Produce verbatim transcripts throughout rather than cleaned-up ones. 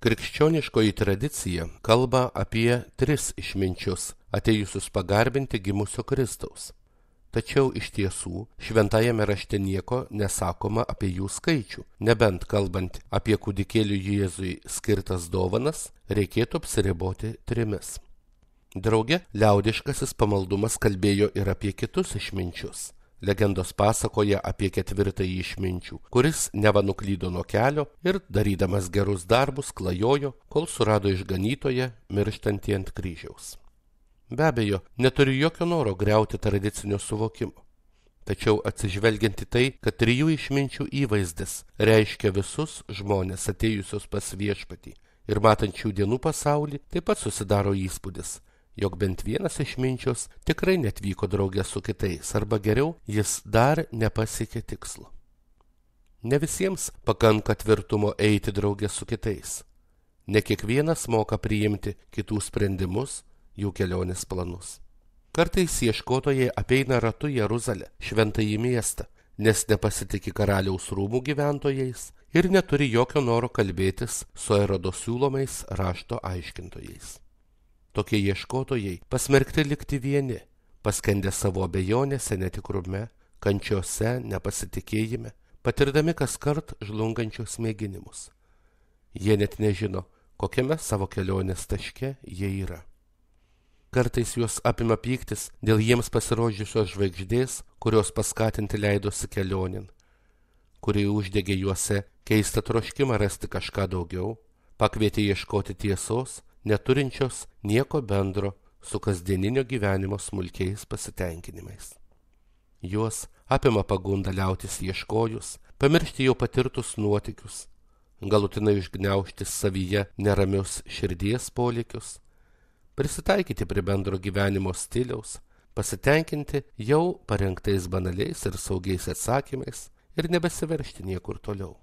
Krikščioniškoji tradicija kalba apie tris išminčius, atėjusius pagarbinti gimusio Kristaus. Tačiau iš tiesų šventajame rašte nieko nesakoma apie jų skaičių, nebent kalbant apie kūdikėliui Jėzui skirtas dovanas, reikėtų apsiriboti trimis. Drauge, liaudiškasis pamaldumas kalbėjo ir apie kitus išminčius. Legendos pasakoja apie ketvirtąjį išminčių, kuris neva nuklydo nuo kelio ir, darydamas gerus darbus, klajojo, kol surado išganytoją mirštantį ant kryžiaus. Be abejo, neturiu jokio noro griauti tradicinio suvokimo. Tačiau atsižvelgiant į tai, kad trijų išminčių įvaizdis reiškia visus žmonės atėjusius pas viešpatį ir matančių dienų pasaulį, taip pat susidaro įspūdis, jog bent vienas išminčius tikrai netvyko draugė su kitais, arba geriau, jis dar nepasiekė tikslo. Ne visiems pakanka tvirtumo eiti draugė su kitais. Ne kiekvienas moka priimti kitų sprendimus, jų kelionės planus. Kartais ieškotojai apeina ratu Jeruzalę, šventąjį miestą, nes nepasitikė karaliaus rūmų gyventojais ir neturi jokio noro kalbėtis su Erodo siūlomais rašto aiškintojais. Tokie ieškotojai pasmerkti likti vieni, paskendę savo abejonėse, netikrume, kančiose, nepasitikėjime, patirdami kaskart žlungančius mėginimus. Jie net nežino, kokiame savo kelionės taške jie yra. Kartais juos apima pyktis dėl jiems pasirodžiusios žvaigždės, kurios paskatinti leidosi kelionin, kuri uždegė juose keistą troškimą rasti kažką daugiau, pakvietė ieškoti tiesos, neturinčios nieko bendro su kasdieninio gyvenimo smulkiais pasitenkinimais. Juos apima pagunda liautis ieškojus, pamiršti jau patirtus nuotykius, galutinai užgniaužti savyje neramius širdies polėkius, prisitaikyti prie bendro gyvenimo stiliaus, pasitenkinti jau parengtais banaliais ir saugiais atsakymais ir nebesiveršti niekur toliau.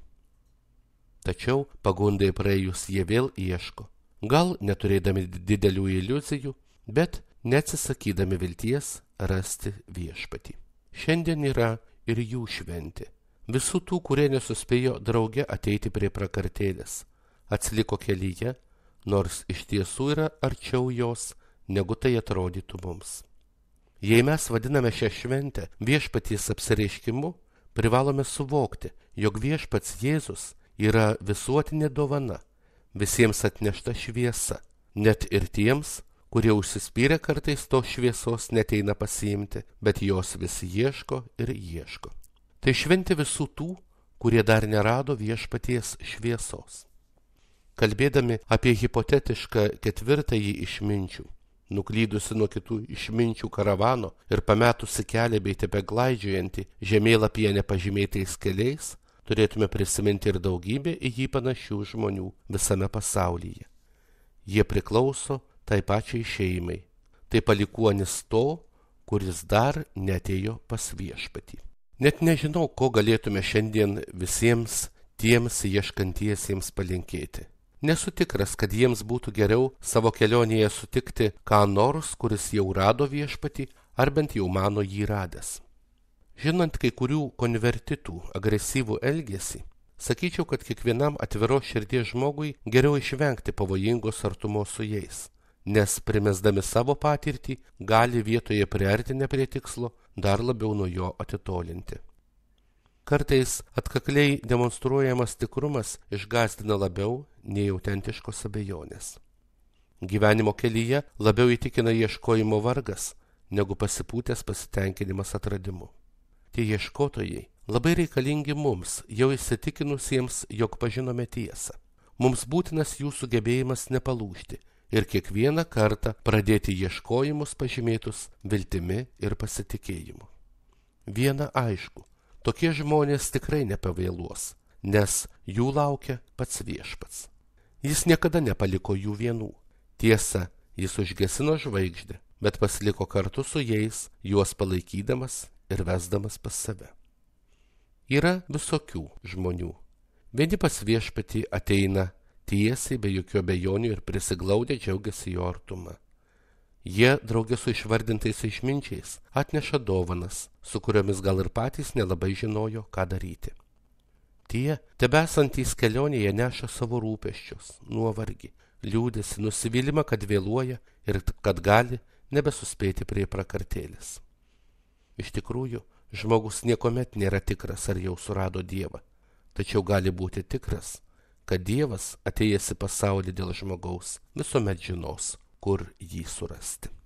Tačiau pagundai praėjus jie vėl ieško, gal neturėdami didelių iliuzijų, bet neatsisakydami vilties rasti viešpatį. Šiandien yra ir jų šventė. Visų tų, kurie nesuspėjo drauge ateiti prie prakartėlės, atsiliko kelyje, nors iš tiesų yra arčiau jos, negu tai atrodytų mums. Jei mes vadiname šią šventę viešpaties apsireiškimu, privalome suvokti, jog viešpats Jėzus yra visuotinė dovana, visiems atnešta šviesa, net ir tiems, kurie užsispyrę kartais tos šviesos neteina pasiimti, bet jos vis ieško ir ieško. Tai šventė visų tų, kurie dar nerado viešpaties šviesos. Kalbėdami apie hipotetišką ketvirtąjį išminčių, nuklydusi nuo kitų išminčių karavano ir pametusi kelią bei tebeglaidžiojantį žemėlapyje nepažymėtais keliais, turėtume prisiminti ir daugybę į jį panašių žmonių visame pasaulyje. Jie priklauso tai pačiai šeimai, tai palikuonis to, kuris dar neatėjo pas viešpatį. Net nežinau, ko galėtume šiandien visiems tiems ieškantiesiems palinkėti. Nesu tikras, kad jiems būtų geriau savo kelionėje sutikti ką nors, kuris jau rado viešpatį, ar bent jau mano jį radęs. Žinant kai kurių konvertitų agresyvų elgesį, sakyčiau, kad kiekvienam atviros širdies žmogui geriau išvengti pavojingos artumos su jais, nes primesdami savo patirtį gali vietoje priartinę prie tikslo dar labiau nuo jo atitolinti. Kartais atkakliai demonstruojamas tikrumas išgąsdina labiau nei autentiškos abejonės. Gyvenimo kelyje labiau įtikina ieškojimo vargas, negu pasipūtęs pasitenkinimas atradimu. Tie ieškotojai labai reikalingi mums, jau įsitikinusiems, jog pažinome tiesą. Mums būtinas jų sugebėjimas nepalūžti ir kiekvieną kartą pradėti ieškojimus pažymėtus viltimi ir pasitikėjimu. Viena aišku, tokie žmonės tikrai nepavėluos, nes jų laukia pats viešpats. Jis niekada nepaliko jų vienų. Tiesa, jis užgesino žvaigždę, bet pasiliko kartu su jais, juos palaikydamas ir vesdamas pas save. Yra visokių žmonių. Vieni pas viešpatį ateina tiesiai, be jokių abejonių ir prisiglaudę džiaugiasi jo artumą. Jie draugė su išvardintais išminčiais atneša dovanas, su kuriomis gal ir patys nelabai žinojo, ką daryti. Tie, tebesantys kelionėje, neša savo rūpesčius, nuovargį, liūdėsi, nusivylimą, kad vėluoja ir kad gali nebesuspėti prie prakartėlės. Iš tikrųjų, žmogus niekuomet nėra tikras, ar jau surado Dievą, tačiau gali būti tikras, kad Dievas, atėjęs į pasaulį dėl žmogaus, visuomet žinos, kur jį surasti.